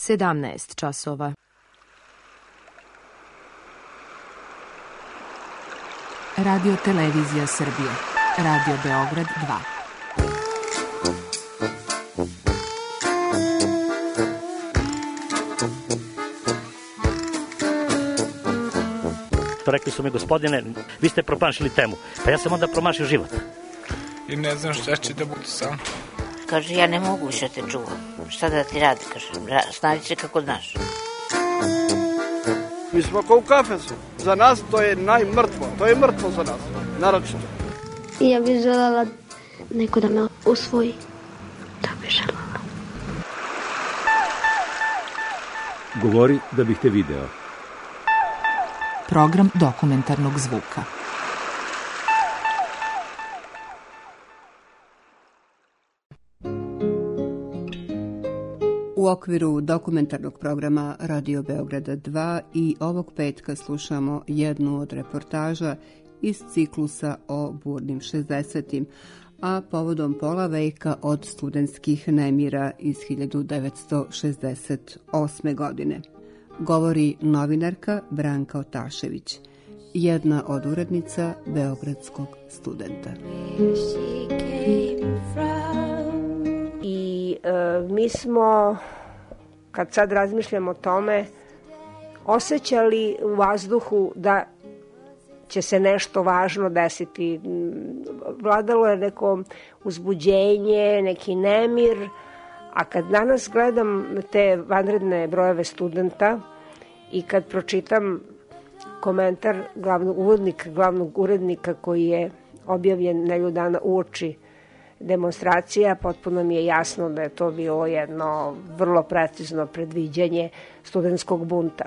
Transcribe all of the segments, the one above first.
17 časova. Radio Televizija Srbije. Radio Beograd 2. Rekli su mi, gospodine, vi ste promašili temu. Pa ja sam onda promašio život. I ne znam šta će da bude sam. Kaže, ja ne mogu više te čuvam. Šta da ti radi, kaže, snađi se kako znaš. Mi smo kao u kafesu. Za nas to je najmrtvo. To je mrtvo za nas, naročito. Ja bih želela neko da me usvoji. Da bih želela. Govori da bih te video. Program dokumentarnog zvuka. U okviru dokumentarnog programa Radio Beograda 2 i ovog petka slušamo jednu od reportaža iz ciklusa o burnim 60-im, a povodom pola veka od studentskih nemira iz 1968. godine. Govori novinarka Branka Otašević, jedna od urednica Beogradskog studenta. I mi smo, kad sad razmišljamo o tome, osjećali u vazduhu da će se nešto važno desiti. Vladalo je neko uzbuđenje, neki nemir, a kad danas gledam te vanredne brojeve studenta i kad pročitam komentar glavnog urednika koji je objavljen nedelju dana uoči demonstracija, potpuno mi je jasno da je to bilo jedno vrlo precizno predviđanje studentskog bunta.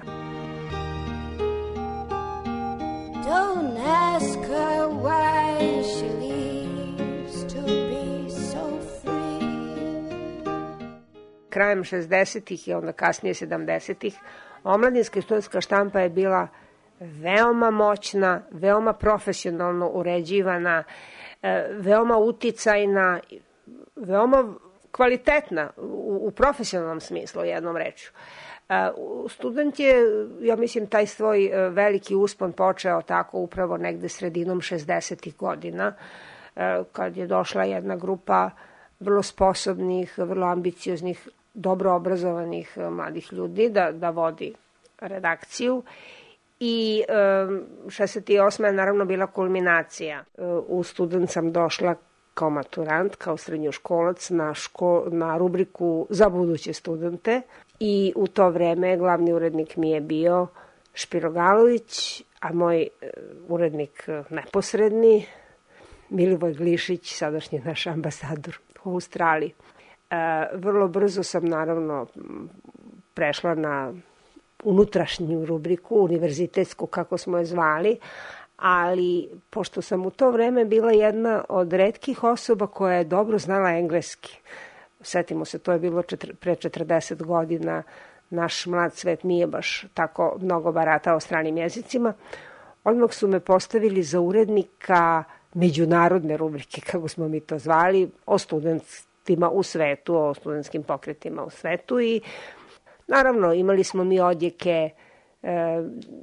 Don't ask her why she leaves to be so free. Krajem 60-ih i onda kasnije 70-ih omladinska i studentska štampa je bila veoma moćna, veoma profesionalno uređivana, veoma uticajna, veoma kvalitetna u profesionalnom smislu, jednom rečju. Student je, ja mislim, taj svoj veliki uspon počeo tako upravo negde sredinom 60-ih godina, kad je došla jedna grupa vrlo sposobnih, vrlo ambicioznih, dobro obrazovanih mladih ljudi da vodi redakciju. I 68. je naravno bila kulminacija. U student sam došla kao maturant, kao srednjoškolac na rubriku za buduće studente i u to vreme glavni urednik mi je bio Špiro Galović, a moj urednik neposredni Milivoj Glišić, sadašnji naš ambasador u Australiji. Vrlo brzo sam naravno prešla na unutrašnju rubriku, univerzitetsku kako smo je zvali, ali pošto sam u to vreme bila jedna od retkih osoba koja je dobro znala engleski, setimo se, to je bilo pre 40 godina, naš mlad svet nije baš tako mnogo baratao stranim jezicima, odmah su me postavili za urednika međunarodne rubrike, kako smo mi to zvali, o studentima u svetu, o studentskim pokretima u svetu i naravno, imali smo mi odjeke,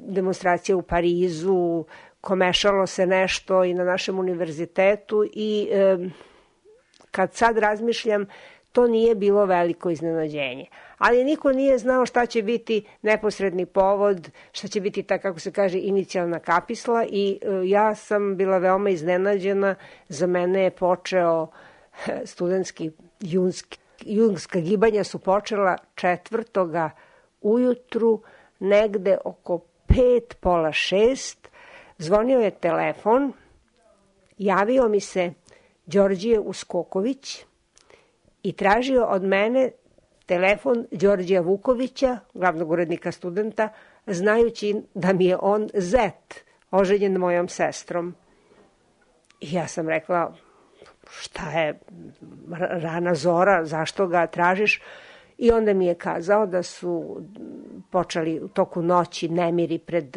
demonstracije u Parizu, komešalo se nešto i na našem univerzitetu i kad sad razmišljam, to nije bilo veliko iznenađenje. Ali niko nije znao šta će biti neposredni povod, šta će biti, tako kako se kaže, inicijalna kapisla i ja sam bila veoma iznenađena. Za mene je počeo studentski jungska gibanja su počela 4. ujutru, negde oko 5, pola 6. Zvonio je telefon, javio mi se Đorđije Uskoković i tražio od mene telefon Đorđija Vukovića, glavnog urednika studenta, znajući da mi je on zet, oženjen mojom sestrom. I ja sam rekla, šta je rana zora, zašto ga tražiš? I onda mi je kazao da su počeli u toku noći nemiri pred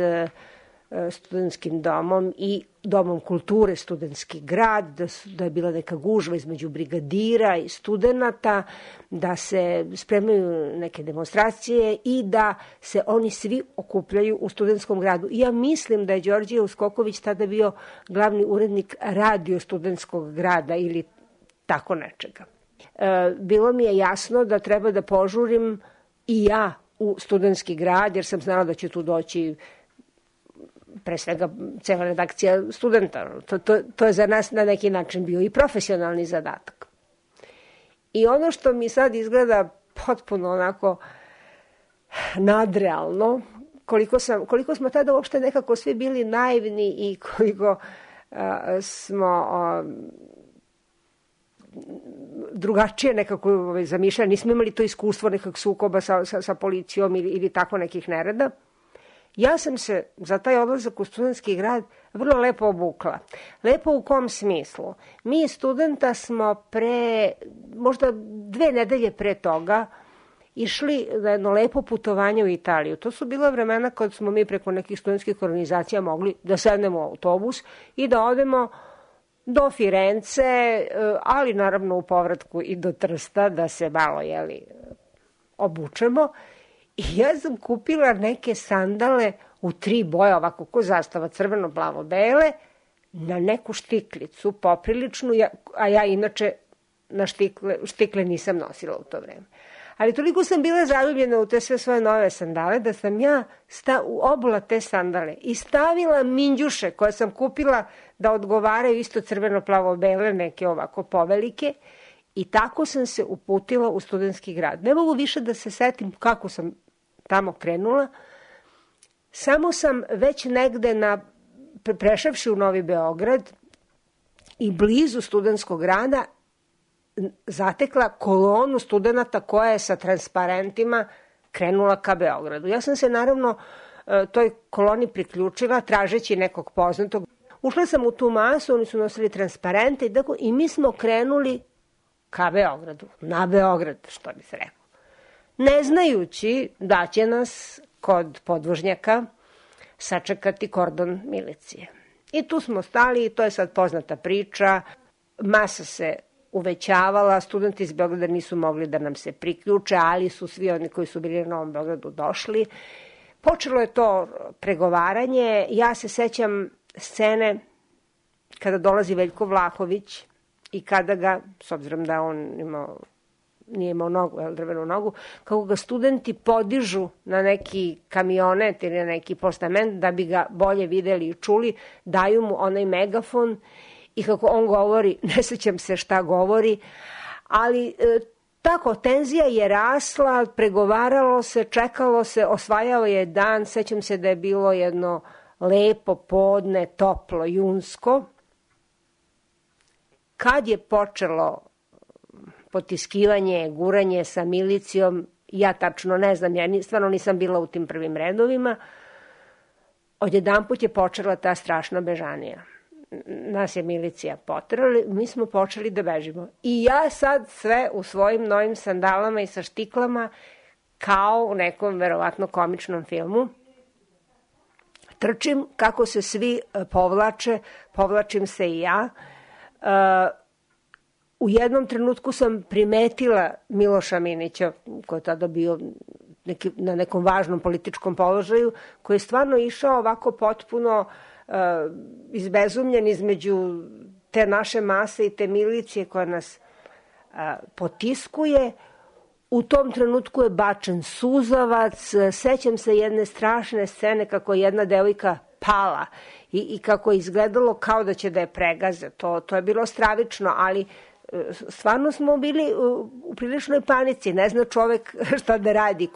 studentskim domom i domom kulture Studentski grad, da je bila neka gužva između brigadira i studenata, da se spremaju neke demonstracije i da se oni svi okupljaju u Studentskom gradu. I ja mislim da je Đorđe Uskoković tada bio glavni urednik Radio Studentskog grada ili tako nečega. Bilo mi je jasno da treba da požurim i ja u Studentski grad, jer sam znala da će tu doći pre svega cela redakcija studenta. To je za nas na neki način bio i profesionalni zadatak. I ono što mi sad izgleda potpuno onako nadrealno, koliko smo tada uopšte nekako svi bili naivni i koliko smo drugačije nekako zamišljali, nismo imali to iskustvo nekog sukoba sa policijom ili tako nekih nereda. Ja sam se za taj odlazak u Studentski grad vrlo lepo obukla. Lepo u kom smislu? Mi studenta smo možda 2 nedelje pre toga išli na jedno lepo putovanje u Italiju. To su bila vremena kad smo mi preko nekih studentskih organizacija mogli da sednemo u autobus i da odemo do Firence, ali naravno u povratku i do Trsta, da se malo obučemo. I ja sam kupila neke sandale u 3 boje, ovako ko zastava, crveno, plavo, bele, na neku štiklicu, popriličnu, a ja inače na štikle nisam nosila u to vreme. Ali toliko sam bila zaljubljena u te sve svoje nove sandale, da sam ja obula te sandale i stavila minđuše koje sam kupila da odgovaraju isto crveno, plavo, bele, neke ovako povelike, i tako sam se uputila u Studentski grad. Ne mogu više da se setim kako sam tamo krenula. Samo sam već negde prešavši u Novi Beograd i blizu Studentskog grada zatekla kolonu studenata koja je sa transparentima krenula ka Beogradu. Ja sam se naravno toj koloni priključila tražeći nekog poznatog. Ušla sam u tu masu, oni su nosili transparente i mi smo krenuli ka Beogradu, na Beograd, što bi se rekao. Ne znajući da će nas kod podvožnjaka sačekati kordon milicije. I tu smo stali i to je sad poznata priča. Masa se uvećavala, studenti iz Beograda nisu mogli da nam se priključe, ali su svi oni koji su bili na Novom Beogradu došli. Počelo je to pregovaranje. Ja se sećam scene kada dolazi Veljko Vlahović i kada ga, s obzirom da on nije imao nogu, drvenu nogu, kako ga studenti podižu na neki kamionet ili na neki postament da bi ga bolje videli i čuli, daju mu onaj megafon i kako on govori, ne sećam se šta govori, ali tako, tenzija je rasla, pregovaralo se, čekalo se, osvajao je dan, sećam se da je bilo jedno lepo podne, toplo, junsko. Kad je počelo potiskivanje, guranje sa milicijom, ja tačno ne znam, ja stvarno nisam bila u tim prvim redovima, odjedanput je počela ta strašna bežanija. Nas je milicija poterala, mi smo počeli da bežimo. I ja sad sve u svojim novim sandalama i sa štiklama, kao u nekom verovatno komičnom filmu, trčim kako se svi povlače, povlačim se i ja. U jednom trenutku sam primetila Miloša Minića, koji je tada bio na nekom važnom političkom položaju, koji je stvarno išao ovako potpuno izbezumljen između te naše mase i te milicije koja nas potiskuje. U tom trenutku je bačen suzavac, sećam se jedne strašne scene kako je jedna devojka pala i kako je izgledalo kao da će da je pregaze. To je bilo stravično, ali stvarno smo bili u priličnoj panici. Ne zna čovek šta da radi,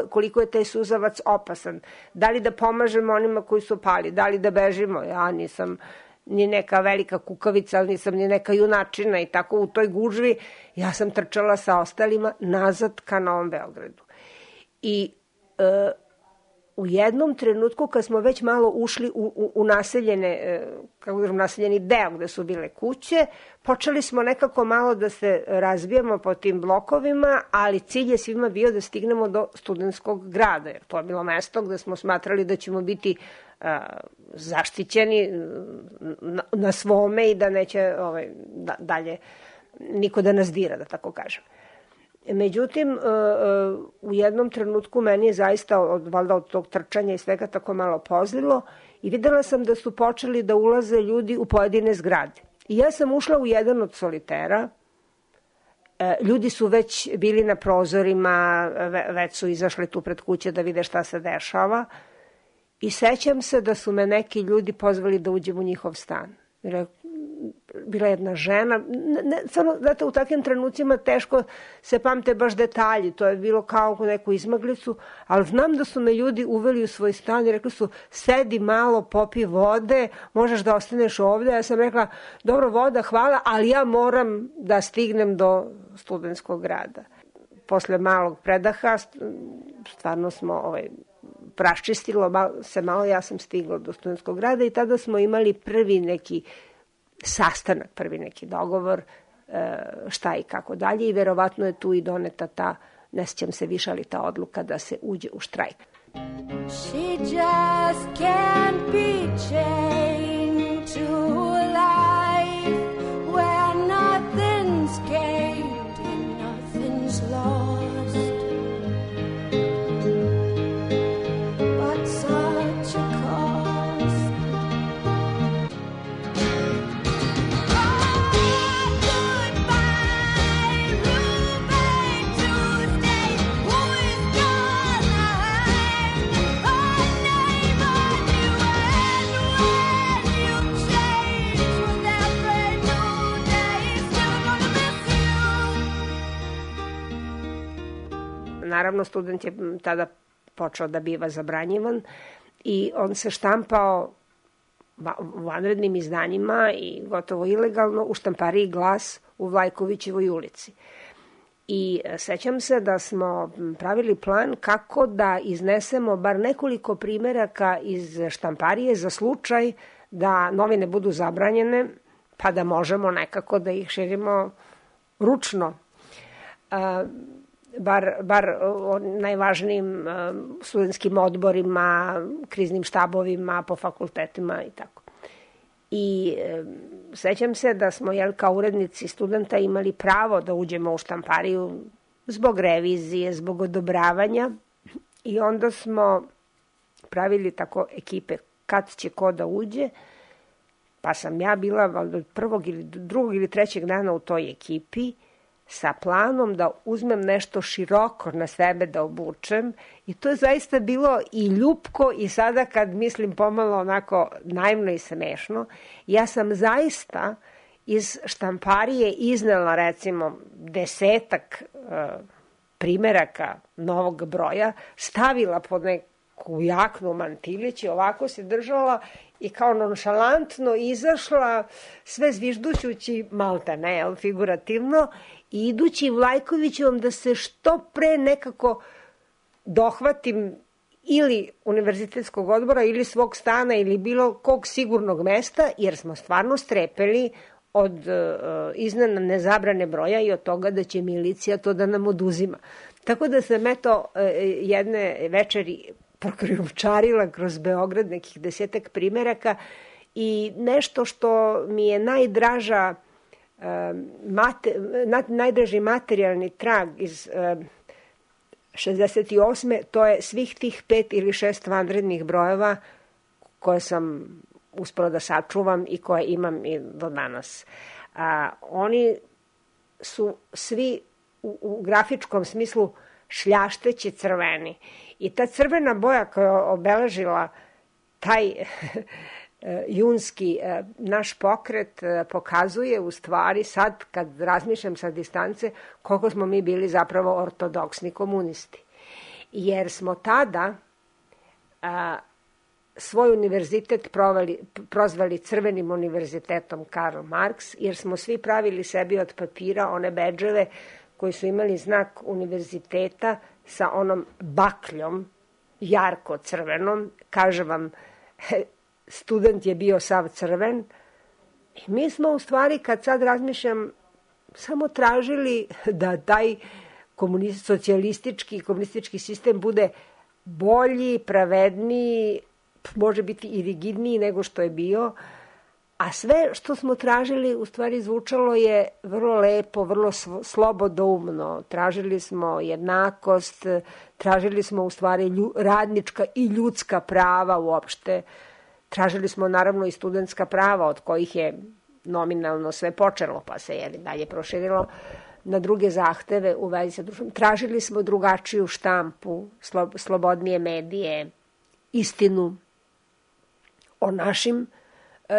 koliko je taj suzavac opasan. Da li da pomažemo onima koji su pali, da li da bežimo. Ja nisam ni neka velika kukavica, ali nisam ni neka junačina i tako u toj gužvi ja sam trčala sa ostalima nazad ka Novom Beogradu. I u jednom trenutku kad smo već malo ušli u naseljene, kako kažem, naseljeni deo gde su bile kuće, počeli smo nekako malo da se razbijamo po tim blokovima, ali cilj je svima bio da stignemo do Studentskog grada, jer to je bilo mesto gde smo smatrali da ćemo biti zaštićeni na svome i da neće dalje niko da nas dira, da tako kažem. Međutim, u jednom trenutku meni je zaista valjda od tog trčanja i svega tako malo pozlilo i videla sam da su počeli da ulaze ljudi u pojedine zgrade. I ja sam ušla u jedan od solitera, ljudi su već bili na prozorima, već su izašli tu pred kuće da vide šta se dešava i sećam se da su me neki ljudi pozvali da uđem u njihov stan. Bila jedna žena, znate, u takvim trenucima teško se pamte baš detalji, to je bilo kao u neku izmaglicu, ali znam da su me ljudi uveli u svoj stan i rekli su, sedi malo, popi vode, možeš da ostaneš ovde. Ja sam rekla, dobro, voda, hvala, ali ja moram da stignem do Studentskog grada. Posle malog predaha, stvarno smo praščistilo se malo, ja sam stigla do Studentskog grada i tada smo imali prvi neki sastanak, prvi neki dogovor, šta i kako dalje i verovatno je tu i doneta ta, ne sjećam se više, ali ta odluka da se uđe u štrajk. She just can't be chained to life where nothing's gained and nothing's lost. But such a cost. Naravno, student je tada počeo da biva zabranjivan i on se štampao u vanrednim izdanjima i gotovo ilegalno u štampariji Glas u Vlajkovićevoj ulici. I sećam se da smo pravili plan kako da iznesemo bar nekoliko primeraka iz štamparije za slučaj da novine budu zabranjene, pa da možemo nekako da ih širimo ručno. Bar o najvažnijim studentskim odborima, kriznim štabovima, po fakultetima i tako. I sećam se da smo, kao urednici studenta, imali pravo da uđemo u štampariju zbog revizije, zbog odobravanja i onda smo pravili tako ekipe kad će ko da uđe, pa sam ja bila od prvog ili drugog ili trećeg dana u toj ekipi sa planom da uzmem nešto široko na sebe da obučem i to je zaista bilo i ljupko i sada kad mislim pomalo onako naivno i smešno. Ja sam zaista iz štamparije iznela recimo 10 primeraka novog broja, stavila pod neku jaknu mantilić i ovako se držala i kao nonšalantno izašla sve zviždućući malte ne, figurativno, i idući Vlajkovićevom da se što pre nekako dohvatim ili univerzitetskog odbora ili svog stana ili bilo kog sigurnog mesta, jer smo stvarno strepeli od iznenadne zabrane broja i od toga da će milicija to da nam oduzima. Tako da sam jedne večeri prokrijumčarila kroz Beograd nekih 10 primeraka i nešto što mi je najdraži materijalni trag iz 68. to je svih tih 5 ili 6 vanrednih brojeva koje sam uspela da sačuvam i koje imam i do danas. Oni su svi u grafičkom smislu šljašteći crveni. I ta crvena boja koja je obeležila taj junski naš pokret pokazuje u stvari sad kad razmišljam sa distance koliko smo mi bili zapravo ortodoksni komunisti. Jer smo tada svoj univerzitet prozvali Crvenim univerzitetom Karl Marx, jer smo svi pravili sebi od papira one bedževe koji su imali znak univerziteta sa onom bakljom jarko crvenom. Kažem vam, student je bio sav crven. I mi smo u stvari, kad sad razmišljam, samo tražili da taj socijalistički, komunistički sistem bude bolji, pravedniji, može biti i rigidniji nego što je bio, a sve što smo tražili u stvari zvučalo je vrlo lepo, vrlo slobodoumno. Tražili smo jednakost, tražili smo u stvari radnička i ljudska prava uopšte. Tražili smo naravno i studentska prava od kojih je nominalno sve počelo, pa se je dalje proširilo na druge zahteve u vezi sa društvom. Tražili smo drugačiju štampu, slobodnije medije, istinu o našim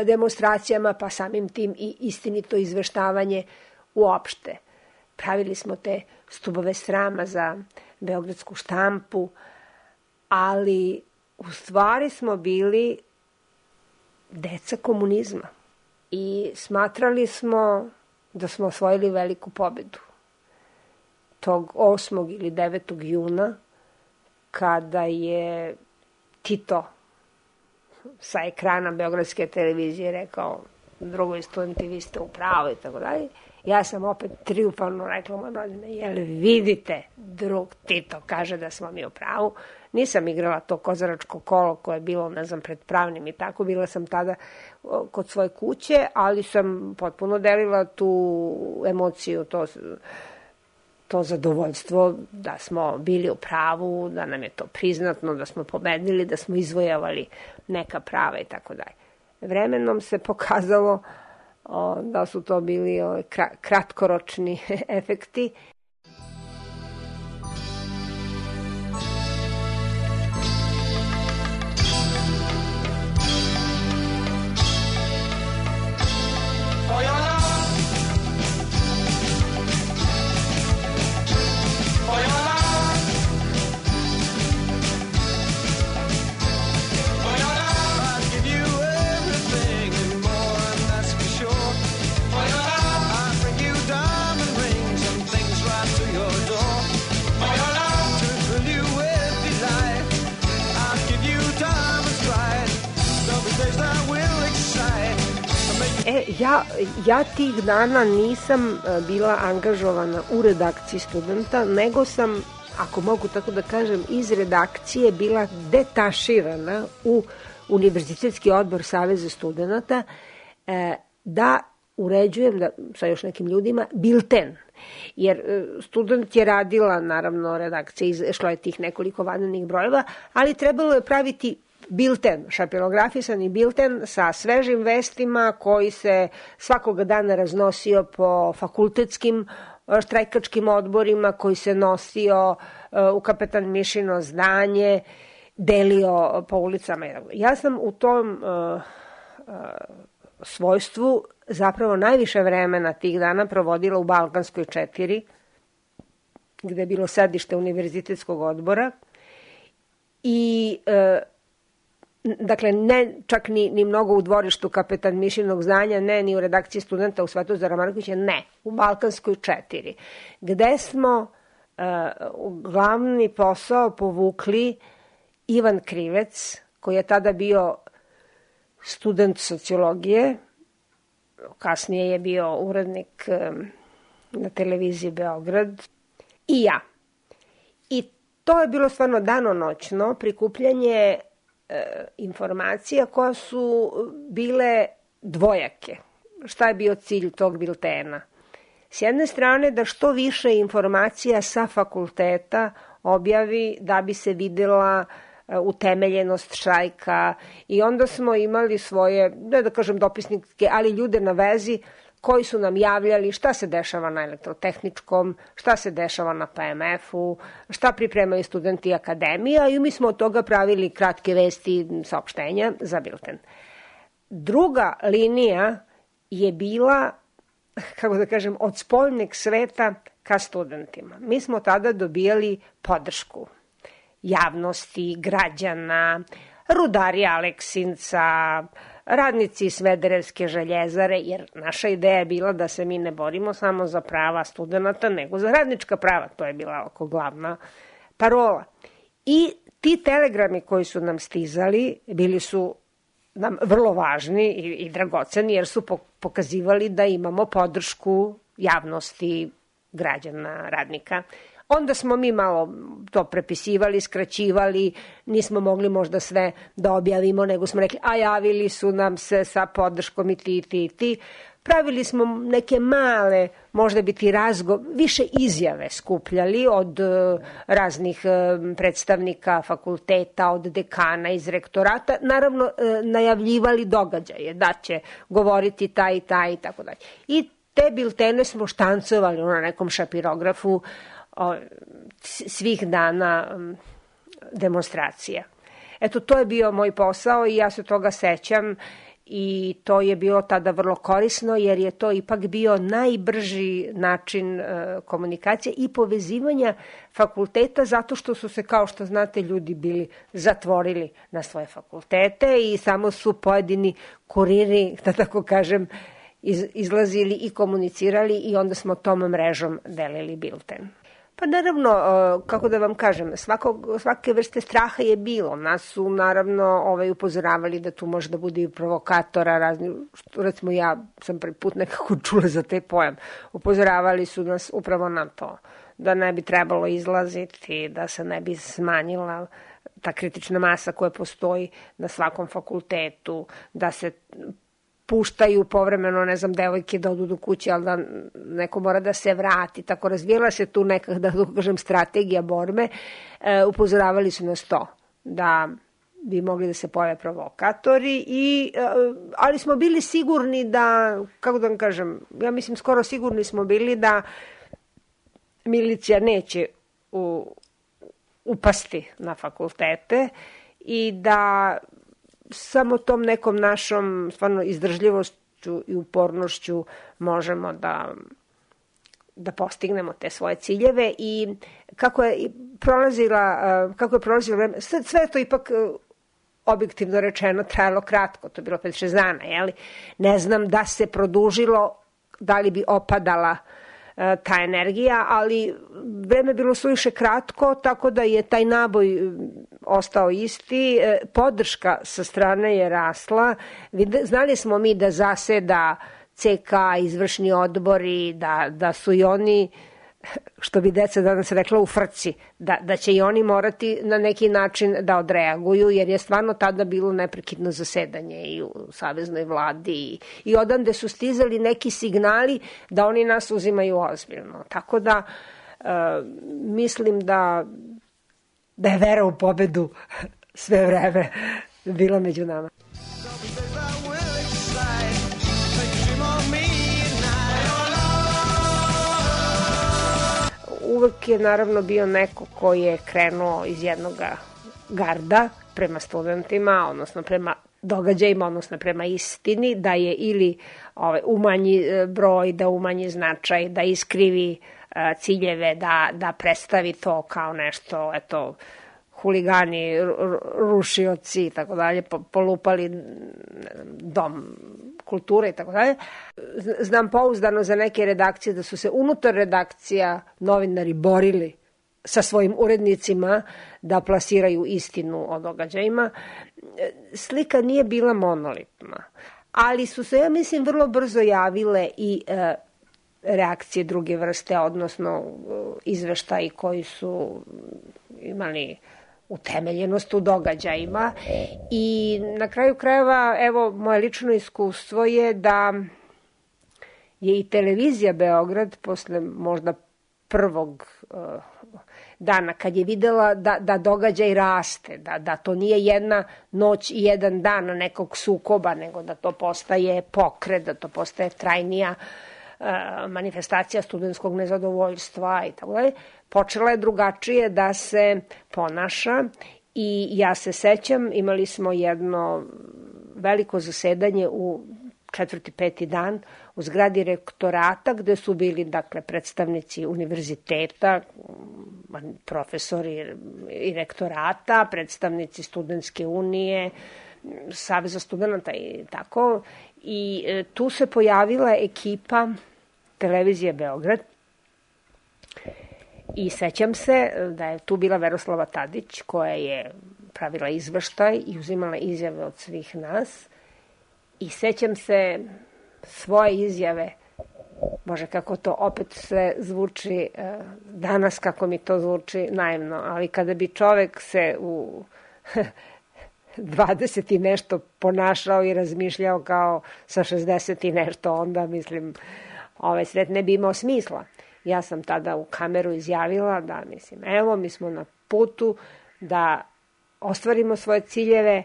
demonstracijama, pa samim tim i istinito izveštavanje uopšte. Pravili smo te stubove srama za beogradsku štampu, ali u stvari smo bili deca komunizma i smatrali smo da smo osvojili veliku pobedu. Tog 8. ili 9. juna, kada je Tito sa ekrana Beogradske televizije rekao drugoj studenti, vi ste u pravu i tako dalje, ja sam opet triumfalno rekla mojim rodinama, jel vidite, drug Tito kaže da smo mi u pravu. Nisam igrala to kozaračko kolo koje je bilo, ne znam, pred pravnim i tako. Bila sam tada kod svoje kuće, ali sam potpuno delila tu emociju, to zadovoljstvo da smo bili u pravu, da nam je to priznatno, da smo pobedili, da smo izvojavali neka prava i tako dalje. Vremenom se pokazalo da su to bili kratkoročni efekti. Ja tih dana nisam bila angažovana u redakciji Studenta, nego sam, ako mogu tako da kažem, iz redakcije bila detaširana u Univerzitetski odbor Saveza studenata da uređujem sa još nekim ljudima bilten. Jer Student je radila, naravno, redakcija, išlo je tih nekoliko vanrednih brojeva, ali trebalo je praviti bilten, šapilografisani bilten sa svežim vestima koji se svakoga dana raznosio po fakultetskim štrajkačkim odborima, koji se nosio u Kapetan Mišino zdanje, delio po ulicama. Ja sam u tom svojstvu zapravo najviše vremena tih dana provodila u Balkanskoj 4, gde je bilo sedište Univerzitetskog odbora i dakle, ne čak ni mnogo u dvorištu Kapetan Mišinog zdanja, ne ni u redakciji Studenta u Svetozara Markovića, ne, u Balkanskoj 4, gde smo glavni posao povukli Ivan Krivec, koji je tada bio student sociologije, kasnije je bio urednik na televiziji Beograd, i ja. I to je bilo stvarno danonoćno prikupljanje informacija koja su bile dvojake. Šta je bio cilj tog biltena? S jedne strane da što više informacija sa fakulteta objavi da bi se videla utemeljenost štrajka i onda smo imali svoje, ne da kažem dopisnike, ali ljude na vezi koji su nam javljali šta se dešava na elektrotehničkom, šta se dešava na PMF-u, šta pripremaju studenti akademija i mi smo od toga pravili kratke vesti, saopštenja za bilten. Druga linija je bila, kako da kažem, od spoljnog sveta ka studentima. Mi smo tada dobijali podršku javnosti, građana, rudari Aleksinca, radnici Smederevske željezare, jer naša ideja je bila da se mi ne borimo samo za prava studenta, nego za radnička prava. To je bila oko glavna parola. I ti telegrami koji su nam stizali bili su nam vrlo važni i dragoceni, jer su pokazivali da imamo podršku javnosti, građana, radnika. Onda smo mi malo to prepisivali, skraćivali, nismo mogli možda sve da objavimo, nego smo rekli, a javili su nam se sa podrškom i ti. Pravili smo neke male, možda biti više izjave skupljali od raznih predstavnika fakulteta, od dekana iz rektorata, naravno najavljivali događaje, da će govoriti taj i taj i tako dalje. I te biltene smo štancovali na nekom šapirografu svih dana demonstracija. Eto, to je bio moj posao i ja se toga sećam i to je bilo tada vrlo korisno, jer je to ipak bio najbrži način komunikacije i povezivanja fakulteta, zato što su se, kao što znate, ljudi bili zatvorili na svoje fakultete i samo su pojedini kuriri, da tako kažem, izlazili i komunicirali i onda smo tom mrežom delili bilten. Pa naravno, kako da vam kažem, svake vrste straha je bilo. Nas su naravno upozoravali da tu može da bude i provokatora, razni, recimo ja sam prvi put nekako čula za taj pojam. Upozoravali su nas upravo na to, da ne bi trebalo izlaziti, da se ne bi smanjila ta kritična masa koja postoji na svakom fakultetu, da se puštaju povremeno, ne znam, devojke da odu do kuće, ali da neko mora da se vrati. Tako razvijela se tu neka, da kažem, strategija borbe. Upozoravali su nas to, da bi mogli da se pojave provokatori, ali smo bili sigurni da, kako da vam kažem, ja mislim skoro sigurni smo bili da milicija neće upasti na fakultete i da samo tom nekom našom stvarno izdržljivošću i upornošću možemo da postignemo te svoje ciljeve. I kako je prolazilo vreme, sve to ipak objektivno rečeno trajalo kratko, to je bilo 5-6 dana, jeli? Ne znam da se produžilo, da li bi opadala ta energija, ali vreme je bilo suviše kratko, tako da je taj naboj ostao isti, podrška sa strane je rasla, znali smo mi da zaseda CK, izvršni odbori, da su i oni, što bi deca danas rekla, u frci, da će i oni morati na neki način da odreaguju, jer je stvarno tada bilo neprekidno zasedanje i u saveznoj vladi i odande su stizali neki signali da oni nas uzimaju ozbiljno. Tako da mislim da je vera u pobedu sve vreme bila među nama. Uvek je naravno bio neko koji je krenuo iz jednog garda prema studentima, odnosno prema događajima, odnosno prema istini, da je ili umanji broj, da umanji značaj, da iskrivi ciljeve, da predstavi to kao nešto, eto, huligani, rušioci i tako dalje, polupali dom kulture i tako dalje. Znam pouzdano za neke redakcije da su se unutar redakcija novinari borili sa svojim urednicima da plasiraju istinu o događajima. Slika nije bila monolitna, ali su se, ja mislim, vrlo brzo javile i reakcije druge vrste, odnosno izveštaji koji su imali utemeljenost u događajima i na kraju krajeva, evo, moje lično iskustvo je da je i televizija Beograd posle možda prvog dana, kad je videla da događaj raste, da to nije jedna noć i jedan dan nekog sukoba, nego da to postaje pokret, da to postaje trajnija manifestacija studentskog nezadovoljstva i tako dalje, počela je drugačije da se ponaša i ja se sećam, imali smo jedno veliko zasedanje u 4. 5. dan u zgradi rektorata, gde su bili, dakle, predstavnici univerziteta, profesori i rektorata, predstavnici studentske unije, Saveza studenta i tako. I tu se pojavila ekipa televizije Beograd I sećam se da je tu bila Veroslava Tadić, koja je pravila izveštaj i uzimala izjave od svih nas. I sećam se svoje izjave, Bože, kako to opet sve zvuči danas, kako mi to zvuči naivno, ali kada bi čovek se u 20 i nešto ponašao i razmišljao kao sa 60 i nešto, onda, mislim, ovaj svet ne bi imao smisla. Ja sam tada u kameru izjavila da, mislim, evo, mi smo na putu da ostvarimo svoje ciljeve,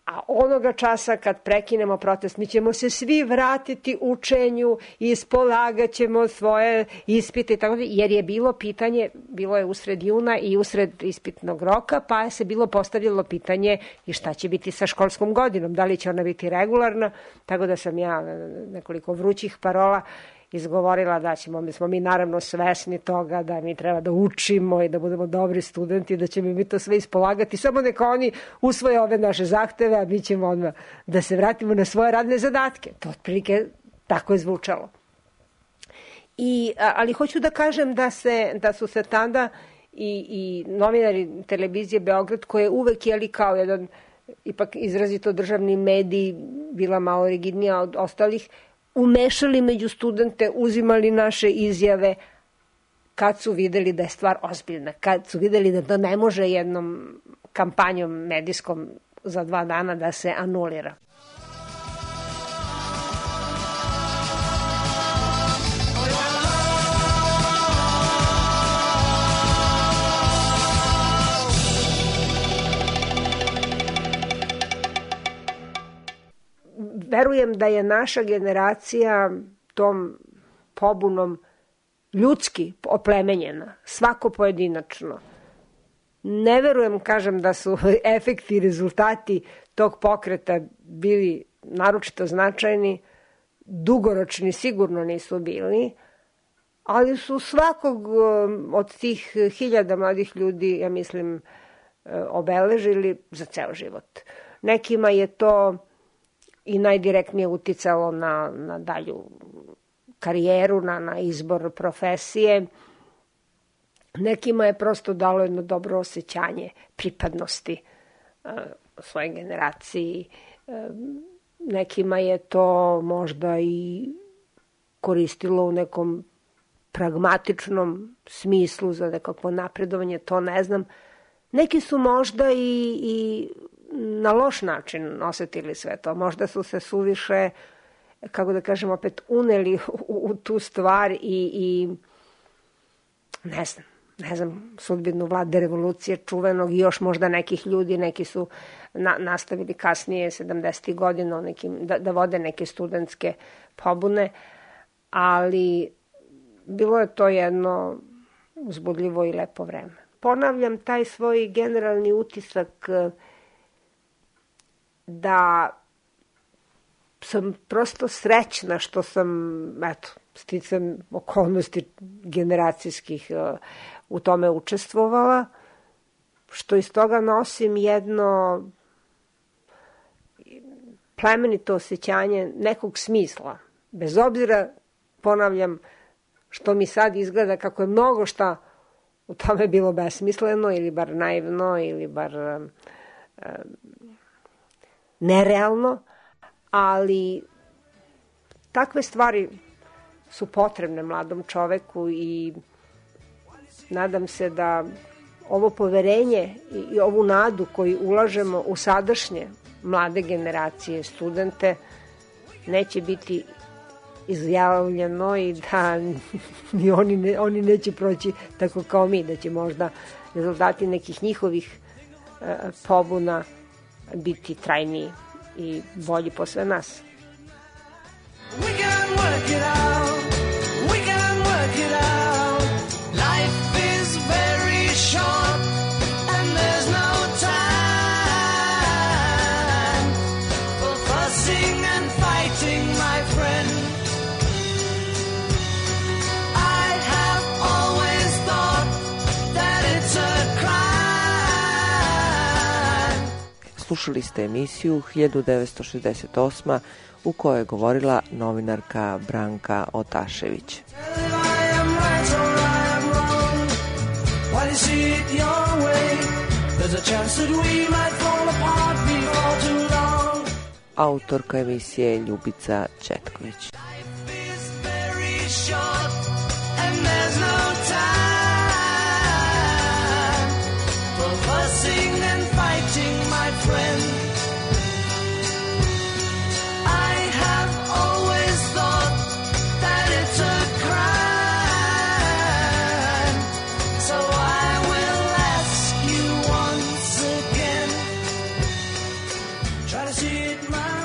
a onoga časa kad prekinemo protest, mi ćemo se svi vratiti učenju i ispolagat ćemo svoje ispite i tako, jer je bilo pitanje, bilo je usred juna i usred ispitnog roka, pa je se bilo postavljalo pitanje i šta će biti sa školskom godinom, da li će ona biti regularna, tako da sam ja nekoliko vrućih parola izgovorila da smo mi naravno svesni toga da mi treba da učimo i da budemo dobri studenti, da ćemo mi to sve ispolagati, samo neka oni usvoje ove naše zahteve, a mi ćemo odmah da se vratimo na svoje radne zadatke. To otprilike tako je zvučalo. Ali hoću da kažem da su se tada i novinari televizije Beograd, koje uvek kao jedan ipak izrazito državni medij, bila malo rigidnija od ostalih, umešali među studente, uzimali naše izjave kad su videli da je stvar ozbiljna, kad su videli da to ne može jednom kampanjom medijskom za 2 dana da se anulira. Verujem da je naša generacija tom pobunom ljudski oplemenjena, svako pojedinačno. Ne verujem, kažem, da su efekti i rezultati tog pokreta bili naročito značajni, dugoročni sigurno nisu bili, ali su svakog od tih 1000 mladih ljudi, ja mislim, obeležili za ceo život. Nekima je to i najdirektnije uticalo na dalju karijeru, na izbor profesije. Nekima je prosto dalo jedno dobro osjećanje pripadnosti svoje generaciji. Nekima je to možda i koristilo u nekom pragmatičnom smislu za nekako napredovanje, to ne znam. Neki su možda i na loš način osetili sve to. Možda su se suviše, kako da kažem, opet uneli u tu stvar i ne znam, sudbinu Vlade revolucije čuvenog i još možda nekih ljudi, neki su nastavili kasnije 70. godina da vode neke studentske pobune, ali bilo je to jedno uzbudljivo i lepo vreme. Ponavljam taj svoj generalni utisak da sam prosto srećna što sam, sticam okolnosti generacijskih u tome učestvovala, što iz toga nosim jedno plemenito osjećanje nekog smisla. Bez obzira, ponavljam, što mi sad izgleda kako je mnogo šta u tome bilo besmisleno ili bar naivno ili bar nerealno, ali takve stvari su potrebne mladom čoveku i nadam se da ovo poverenje i ovu nadu koju ulažemo u sadašnje mlade generacije, studente, neće biti izjavljeno i da oni neće proći tako kao mi, da će možda rezultati nekih njihovih pobuna biti trajniji i bolji po sve nas. We can work it out. We can work it out. Life is very short and there's no time for fussing and fighting, my friend. I have always thought that it's a crime. Slušali ste emisiju 1968. u kojoj je govorila novinarka Branka Otašević. Try to see it your way. There's a chance that we might fall apart before too long. Autorka emisije je Ljubica Četković. Life is very short and there's no time for fussing and fighting, my friend. I have always thought that it's a crime, so I will ask you once again. Try to see it my